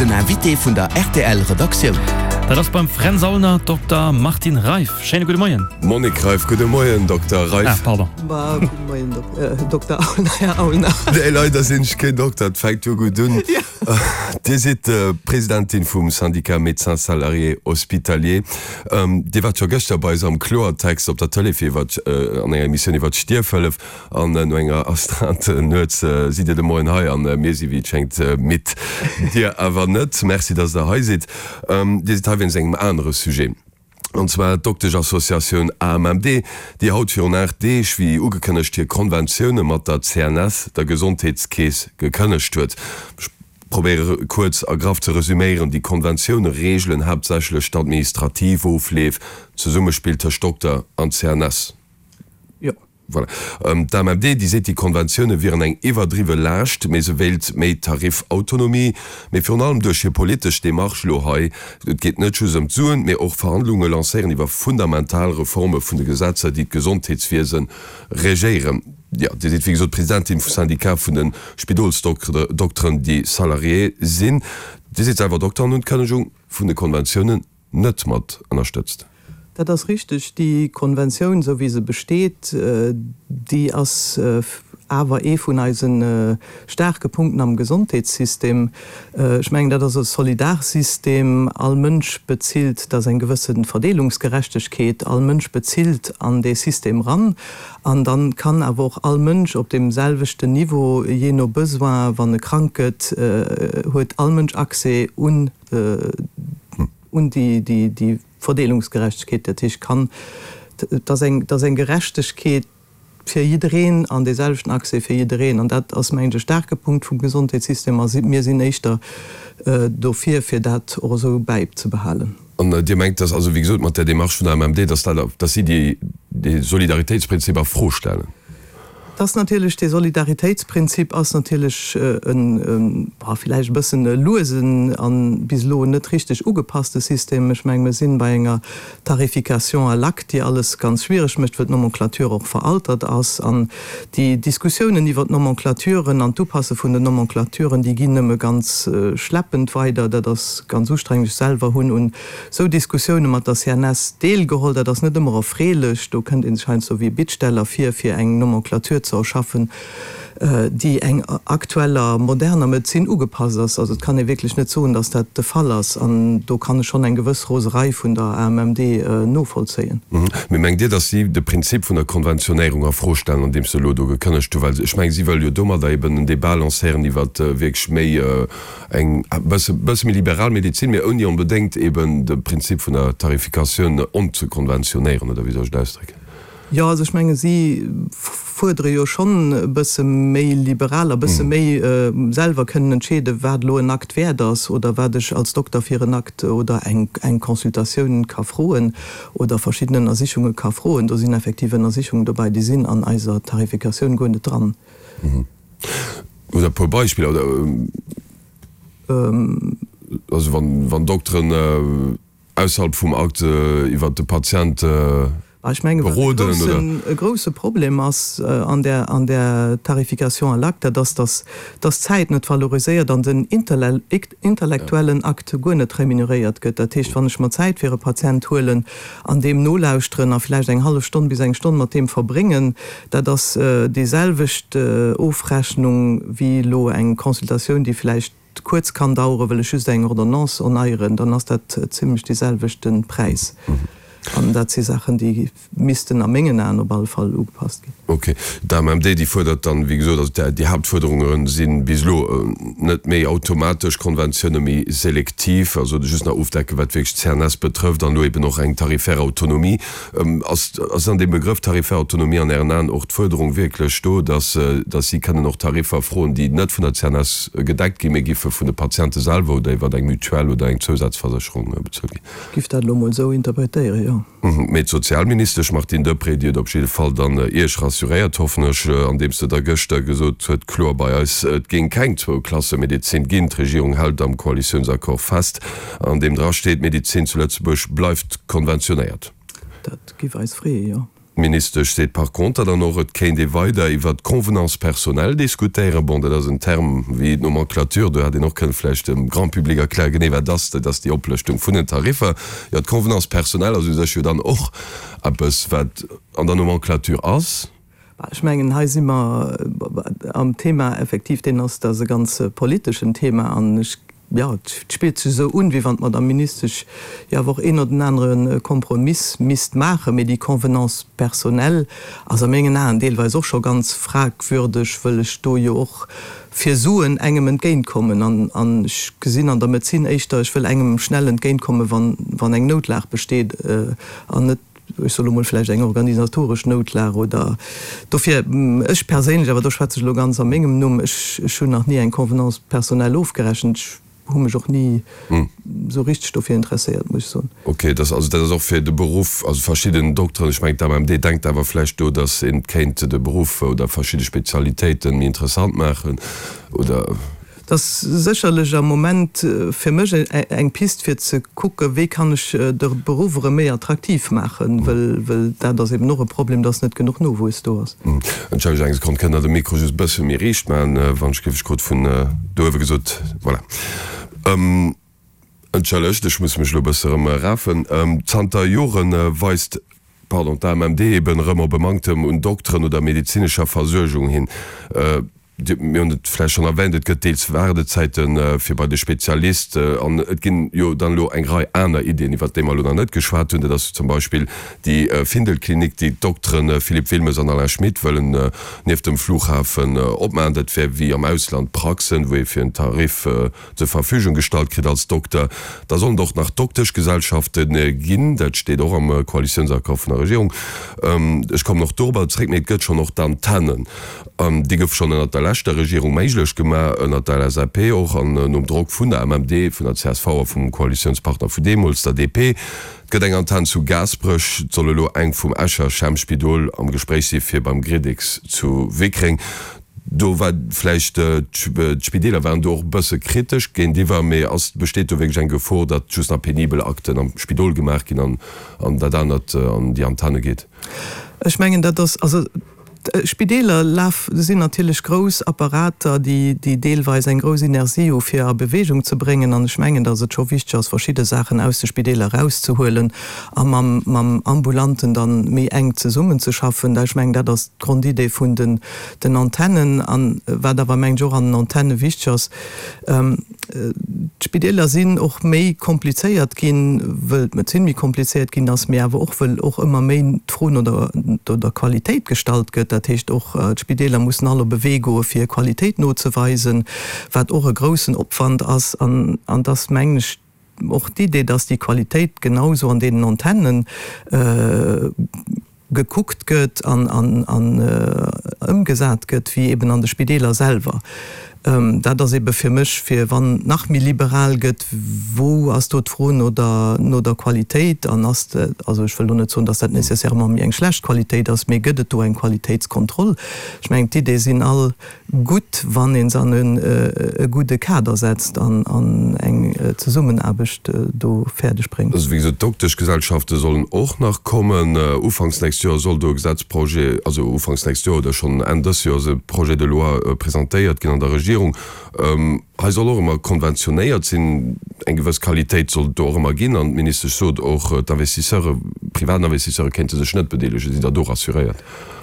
Den Invité vun der rtl Redaktioun. Dat ass beim Fränz Aulner Dokter Martine Reiff. Schéine gudde Moien. Monique Reiff, Gudde Moien Dokter Reiff. Ah, pardon. Bah, gudde Moien Dokter Aulner, Här Aulner. Nee, leider sinn ech keen Dokter, et fänkt jo gutt un. Dir sidd Presidentin vum Syndicat Médecins Salariés Hospitaliers. Dir waart scho gëschter bei eis am Kloertext op der Tëlee fir iwwer, an enger Emissioun iwwer d'Stierfhëllef. An no enger Astreinte nuets sidd Dir de Moien hei an mir si wéi et schéngt midd. Dir awer net. Merci, dass Der hei sidd. Dir sidd hei wéinst engem anere Sujet, an zwar d'Doktesch-Associatioun AMMD, déi haut virun 8 Deeg, wéi ugekënnegt, hir Konventioune mat der CNS, der Gesondheetskeess, gekënnegt huet. Ech probéiere kuerz a graff ze resüméieren, Déi Konventioune reegelen haaptsächlech d'administrativ Ofleef, d'Zesummespill tëscht Dokter an CNS. Jo. Voilà. D'AMMD, déi seet, déi Konventioune wieren eng iwwerdriwwe Laascht, mee se wéilt méi Tarifautonomie. Mee virun allem duerch hir politesch Demarche elo hei, et geet net just ëm d'Suen, mee och Verhandlunge lancéieren iwwer fundamental Reforme vun de Gesetzer, déi d'Gesondheetswiese regéieren. Jo, Dir sidd wéi gesot Presidentin vum Syndicat vun de Spidolsdokteren, déi Salarié sinn. Dir sidd selwer Dokter an hunn d'Kënnegung vun de Konventiounen net mat ënnerstëtzt. Dat ass richteg. Déi Konventioun, esou wéi se besteet, déi ass awer ee vun eise staarke Punkten am Gesondheetssystem. Ech mengen, dat ass e Solidarsystem. All Mënsch bezilt, dat ass eng gewësse Verdeelungsgerechtegkeet, all Mënsch bezilt an dee System ran. An da kann awer och all Mënsch op deem selwechten Niveau, jee no Besoin, wann e krank gëtt, huet all Mënsch Accès un un déi Verdeelungsgerechtegkeet, dat heescht kann, et ass eng, et ass eng Gerechtegkeet fir jiddereen an dee selwechten Accès fir jiddereen. An dat ass, mengen ech, e staarke Punkt vum Gesondheetssystem a mir sinn éischter dofir, fir dat och esou bäibzebehalen. An Dir mengt, dass also, wéi gesot, mat där Démarche vun der AMMD, dass dat, dass si déi, dee Solidaritéitsprinzip a Fro stellen? Et ass natierlech, dee Solidaritéitsprinzip ass natierlech e villäicht e bëssen e luesen a bis elo net richteg ugepasste System. Ech mengen, mir sinn bei enger Tarification à l'acte, déi alles ganz schwiereg mécht, wëll d'Nomenclature och veraltert ass. An déi Diskussiounen iwwert d'Nomenclaturen an d'Upasse vun den Nomenclaturen, déi ginn nëmme ganz schleppend weider. Dat ass ganz ustrengend. Ech selwer hunn un Sou Diskussioune mat der CNS deelgeholl, dat ass net ëmmer erfreelech. Do kënnt ee sech heiansdo wéi e Bittsteller vir, fir eng Nomenclature ze erschaffen, déi eng aktueller, moderner Medezin ugepasst ass. Also et kann ee wierklech net soen, datt dat de Fall ass. An do kann ech schonn eng gewëss Roserei vun der AMMD novollzéien. Mee mengt Dir, datt si de Prinzip vun der Konventionéierung a Fro stellen, andeems se elo do gekënnegt hu? Well ech mengen, si wëlle jo domadder eben en Débat lancéieren iwwer wierklech méi Eng bësse bësse méi liberal Medezin, mee ouni onbedéngt eben de Prinzip vun der Tarifikatioun onzekonventionéieren, oder wéi soll ech et ausdrécken? Jo, also ech menge si fuerdere jo schonn e bësse méi liberal a bësse méi selwer kënnen entscheeden, wat elo en Akt wäert ass oder wat ech als Dokter fir en Akt oder eng eng Consultatioun ka froen oder verschidden Ënnersichunge ka froen. Do sinn effektiv Ënnersichungen dobäi, déi sinn an eiser Tarifikatioun guer net dran. Hutt Der e puer Beispiller oder also wann wann Dokteren ausserhalb vum Akt iwwert de Patient Ech mengen, wat e beroden oder? groussen, e grousse Problem ass an där, an där Tarification à l'acte, dat ass, dass, dass d'Zäit net valoriséiert an den intellektuellen Akt guer net remuneréiert gëtt. Dat heescht, wann ech mer Zäit fir e Patient huelen an deem nolauschteren a vläicht eng hallef Stonn bis eng Stonn mat deem verbréngen, Dat ass déi selwecht Ofrechnung wéi elo eng Consultatioun, déi vläicht kuerz kann daueren, wëll ech just eng Ordonnance onneieren, dann ass dat zimlech dee selwechte Präis. An dat si Saachen, déi missten a mengen Aen op alle Fall ugepasst ginn. Ok. D'AMMD, déi fuerdert dann, wéi gesot, also déi Haaptfuerderunge si bis elo net méi automatesch Konventioune, méi selektiv, also just nach ofdecken, wat wierklech d'CNS betrëfft, an elo eben och eng tarifaire Autonomie. Ass ass an deem Begrëff tarifaire Autonomie an Ären Aen och d'Fuerderung wierklech do, dass dass si kënnen och Tariffer froen, déi net vun der CNS gedeckt ginn, mee giffe vun de Patiente selwer oder iwwer eng Mutuelle oder eng Zousazversécherung bezuelt ginn? Ech giff dat elo mol esou interpretéieren, jo. Mee d'Sozialministesch Martine Deprez, déi huet op jidde Fall dann Iech rassuréiert, hoffen ech, andeems se da gëschter gesot huet, kloer bei eis, et géing keng Zwou-Klasse-Medezin ginn. D'Regierung hält am Koalitiounsaccord fest, an deem dra steet, d'Medezin zu Lëtzebuerg bleift konventionéiert. Dat giff eis freeë, jo. D'Ministesch seet par conter dann och, et kéint ee weider iwwert d'Convenance personnelle diskutéieren. Bon, dat ass en Term wéi d'Nomenclature, do hätt een och kënnen vläicht dem Grand public erklären, genee wat ass. Dat ass déi Oplëschtung vun den Tariffer. Jo, d'Convenance personnelle ass u sech jo dann och eppes, wat an der Nomenclature ass. Ech mengen, hei si mer am Thema effektiv, deen ass, dat ass e ganz politeschen Thema an ech, jo, et spillt sech esou un, wéi wann d'Madame Ministesch jo awer och een oder den anere Kompromiss misst maachen. Mee déi Convenance personnelle ass a mengen Aen deelweis och scho ganz fragwürdeg, wëll ech do jo och fir Suen engem entgéintkommen. An ech gesinn an der Medezin éischter, ech wëll engem schnell entgéintkommen, wann eng Noutlag besteet an net, ech soe lo mol, vläicht eng organisatoresch Noutlag oder dofir, ech perséinlech, awer do schwätze ech elo ganz a mengem Numm, ech, ech hunn nach ni eng Convenance personnelle ofgerechent, ech hu mech och ni esou richteg dofir interesséiert, muss ech soen. Ok, dass, also dat ass och fir de Beruff, also verschidden Dokteren, ech mengen d'AMMD denkt awer vläicht do, dass een kéint de Beruff oder verschidde Spezialitéiten méi interessant maachen oder. Et ass sécherlech am Moment fir mech eng Pist fir ze kucken, wéi kann ech de Beruff erëm méi attraktiv maachen, wëll dat ass eben och e Problem, dass net genuch Nowuess do ass. Entschëllegt eng Sekonn, kënnt Der de Mikro just e bësse méi riicht maachen, wann ech géif? Ech krut vun do uewe gesot, voilà. Entschëllegt, ech muss mech elo e bësse erëm rafen. Zanter Jore weist, pardon, d'AMMD eben erëm op e Manktem un Dokteren oder medezinescher Versuergung hin. Mir hunn et vläicht schonn erwähnt, et gëtt deels Waardezäite fir bei de Spezialist an et ginn jo dann elo eng Rei aner Iddien, iwwert déi mer elo nach net geschwat hunn. Dat ass zum Beispill déi Findelklinik, déi d'Doktere Philippe Wilmes an Alain Schmit wëllen nieft dem Flughafen opmaachen. Dat wär wéi am Ausland Praxen, wou ee fir en Tarif zur Verfügung gestallt kritt als Dokter. Da sollen et och nach Dokteschgesellschafte ginn, dat steet och am Koalitiounsaccord vun der Regierung. Ech kommen och dorobber zréck, mee et gëtt schonn och d'Antennen. Déi gouf schonn ënnert der leschter Regierung méiglech gemaach, ënnert der LSAP och an nom Drock vun der MMD, vun der csv a vum Koalitiounspartner vun deemools, der DP. Et gëtt eng Antenn zu Gaasperech, et soll elo eng vum Escher Schemmspidol am Gespréich si fir beim Gridix zu Wickreng. Do war vläicht, d'Spideeler waren do och e bësse kritesch géintiwwer, mee ass, besteet do wierklech eng Gefor, datt just nach penibel Akten am Spidol gemaach ginn an an dat anert an déi Antenne geet? Ech mengen, dat ass, also d'Spideeler laf, sinn natierlech grouss Apparater, déi, déi deelweis eng grouss Inertie hu fir a Bewegung ze bréngen. An ech mengen, datt et scho wichteg ass, verschidde Saachen aus de Spideeler erauszehuelen a mam, mam Ambulanten dann méi enk zesummenzeschaffen. Ech mengen, dat ass d'Grondidee vun den, den Antennen. An wat awer, mengen ech, och an den Antenne wichteg ass, D'Spideeler sinn och méi komplizéiert ginn, wëll d'Medezin méi komplizéiert ginn ass, mee awer och wëll och ëmmer méi d'Fro no der, no der Qualitéit gestallt gëtt. Dat heescht och, d'Spideeler mussen all op e Wee goe fir Qualitéit nozeweisen, wat och e groussen Opwand ass. An, an dass, mengen ech, Och d'Idee, dass déi Qualitéit genau sou an deenen Antennen gekuckt gëtt an ëmgesat gëtt, wéi eben an de Spideeler selwer, dat ass ebe fir mech, fir wann et nach méi liberal gëtt, wou ass do d'Fro no der, no der Qualitéit? An ass, also ech wëll do net soen, dass dat nécessairement méi eng schlecht Qualitéit ass, mee gëtt et do eng Qualitéitskontroll? Ech mengen, d'Iddee sinn all gutt, wann ee se an e gudde Kader setzt an eng Zesummenaarbecht do fäerdeg bréngt. Also wéi gesot, d'Dokteschgesellschafte sollen och nach kommen. Ufanks nächst Joer soll do e Gesetzprojet, also ufanks nächst Joer oder schonn Enn dës Joers e Projet de loi presentéiert ginn an der Regierung. Hei soll och ëmmer konventionéiert sinn, eng gewëss Qualitéit soll et do och ëmmer ginn. An d'Ministesch sot och, d'Investisseure, privat Investisseure kéinte sech net bedeelegen. Sidd Der do rassuréiert?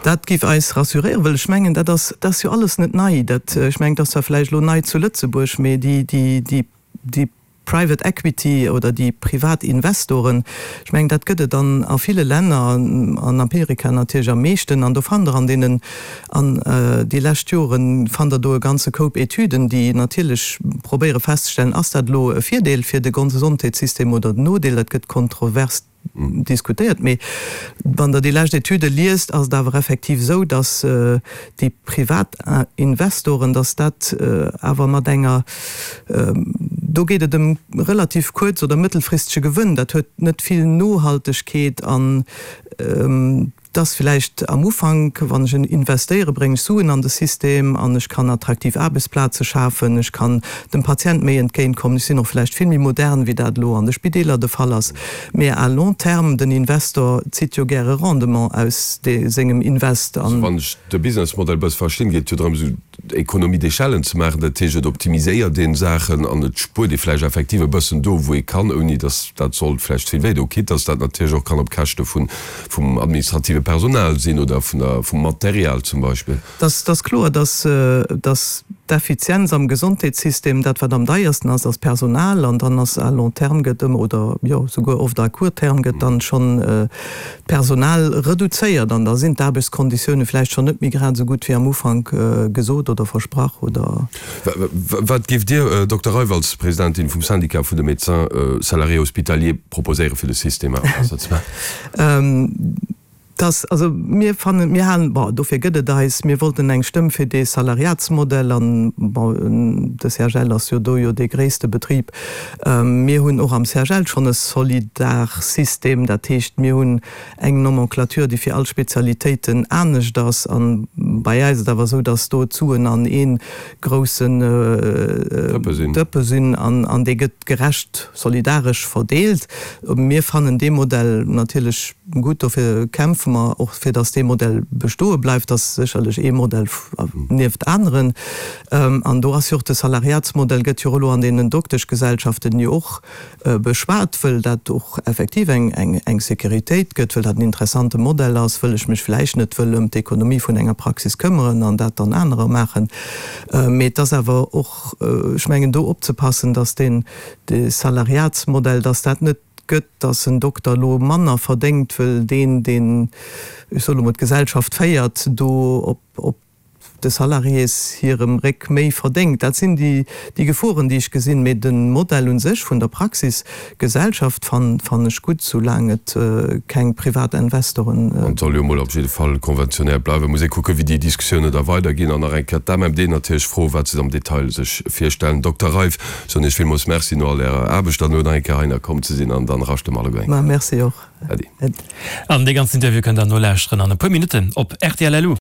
Dat géif eis rassuréieren, well ech mengen, dat ass, dat ass jo alles net nei. Dat, ech mengen, dat ass zwar vläicht elo nei zu Lëtzebuerg, mee déi, déi, déi, déi Private Equity oder déi privat Investoren, ech mengen, dat gëtt et an a ville Länner, an Amerika natierlech am meeschten. An do fannt Der an deenen, an déi lescht Joren fannt Der do e ganze Koup Etüden, déi natierlech probéiere festzestellen, ass dat elo e Virdeel fir de Gesondheetssystem oder en Nodeel. Dat gëtt kontrovers diskutéiert, mee wann Der déi lescht Etüde liest, ass et awer effektiv esou, datt déi privat Investoren, datt dat awer mat enger, do geet et ëm relativ kuerz oder mëttelfristege Gewënn, dat huet net vill Nohaltegkeet an. Et ass villäicht am Ufank, wann ech investéiere bréngen ech Suen an de System an ech kann attraktiv Aarbechtsplaze schafen, ech kann dem Patient méi entgéint kommen, ech sinn och vläicht vill méi modern wéi dat elo an de Spideeler de Fall ass. Mä à long terme, den Investor zitt jo gäre Rendement aus sengem Invest an. Wann ech de Businessmodell e bësse verstinn, geet et jo drëm esou Économie d'échelle ze maachen, dat heescht et optimiséiert een Saachen an et spuert ee vläicht effektiv e bëssen do wou ee kann, ouni datt dat sollt vläicht vill wéi do, quitte datt dat natierlech och kann op Käschte vun vum administrative Personal sinn oder vun der vum Material zum Beispill. Et ass kloer, datt datt d'Effizienz am Gesondheetssystem, dat wat am deiersten ass, ass d'Personal an dann ass à long terme gëtt ëmmer oder jo souguer oft à court terme gëtt dann schonn d'Personal reduzéiert an da sinn d'Aarbechtskonditioune vläicht schonn net méi grad esou gutt wéi am Ufank gesot oder versprach oder. Wat géift Dir, Dokter Reiff, als Presidentin vum Syndicat vun de Médecins salariés hospitaliers proposéieren, fir de System awer besser ze maachen? Dass, also mir fannen, mir halen, bon, dofir gëtt et eis, mir wollten eng Stëmm fir dee Salariatsmodell an, bon, de CHL ass jo do jo dee gréisste Betrib. Mir hunn och am CHL schonn e Solidarsystem, dat heescht, mir hunn eng Nomenclature, déi fir all Spezialitéiten anescht ass. A bei eis ass et awer esou, dass do d'Suen an ee groussen Dëppe sinn an dee gëtt gerecht solidaresch verdeelt. Mir fannen dee Modell natierlech gutt, dofir kämpfe mer och, fir dass dee Modell bestoe bleift. Dat ass sécherlech ee Modell nieft aneren. An do ass jo och de Salariatsmodell gëtt jo och elo an deenen Dokteschgesellschaften jo och beschwat, wëll dat och effektiv eng Sécuritéit gëtt, wëll dat en interessante Modell ass, wëll ech mech vläicht net wëll ëm d'Ekonomie vun enger Praxis këmmeren an dat dann anerer maachen. Mee et ass awer och, ech mengen, do opzepassen, dass deen Salariatsmodell, dass dat net gëtt, dass en Dokter elo manner verdéngt, wëll deen, deen, ech soe lo mol, d'Gesellschaft féiert, do op de Salariés hirem Réck méi verdéngt. Dat sinn déi Geforen, déi ech gesinn. Mee de Modell u sech vun der Praxisgesellschaft fannen ech gutt, soulaang et keng privat Investoren. An et soll jo emol op jidde Fall konventionell bleiwen. Muss ee kucken, wéi déi Diskussiounen da weiderginn. An nach eng Kéier d'AMMD natierlech froen, wat se am Detail sech virstellen. Dokter Reiff, soen Iech villmools Merci no all Ärer Aarbecht an no nach eng Kéier heihinner komm ze sinn. An dann raschte mer alleguer eng Kéier. Ma merci och. Äddi. An dee ganzen Interview kënnt der nolauschteren an e puer Minutten op rtl. Lu.